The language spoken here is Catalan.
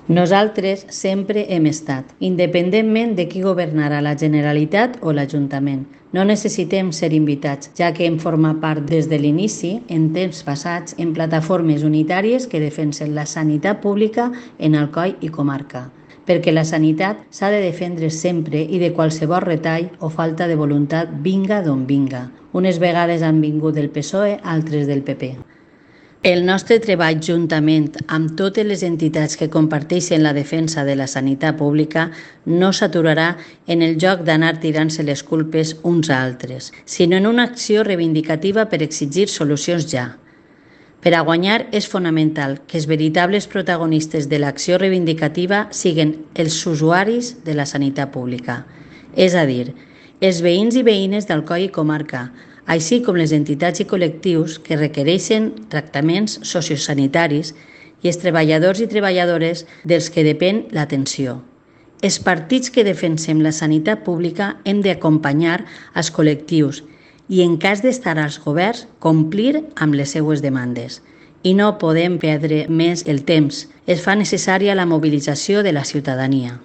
Nosaltres sempre hem estat, independentment de qui governarà la Generalitat o l'Ajuntament. No necessitem ser invitats, ja que hem format part des de l'inici, en temps passats, en plataformes unitàries que defensen la sanitat pública en Alcoi i comarca. Perquè la sanitat s'ha de defendre sempre i de qualsevol retall o falta de voluntat vinga d'on vinga. Unes vegades han vingut del PSOE, altres del PP. El nostre treball juntament amb totes les entitats que comparteixen la defensa de la sanitat pública no s'aturarà en el joc d'anar tirant-se les culpes uns a altres, sinó en una acció reivindicativa per exigir solucions ja. Per a guanyar és fonamental que els veritables protagonistes de l'acció reivindicativa siguin els usuaris de la sanitat pública, és a dir, els veïns i veïnes d'Alcoi i comarca, així com les entitats i col·lectius que requereixen tractaments sociosanitaris i els treballadors i treballadores dels que depèn l'atenció. Els partits que defensem la sanitat pública hem d'acompanyar els col·lectius i, en cas d'estar als governs, complir amb les seues demandes. I no podem perdre més el temps. Es fa necessària la mobilització de la ciutadania.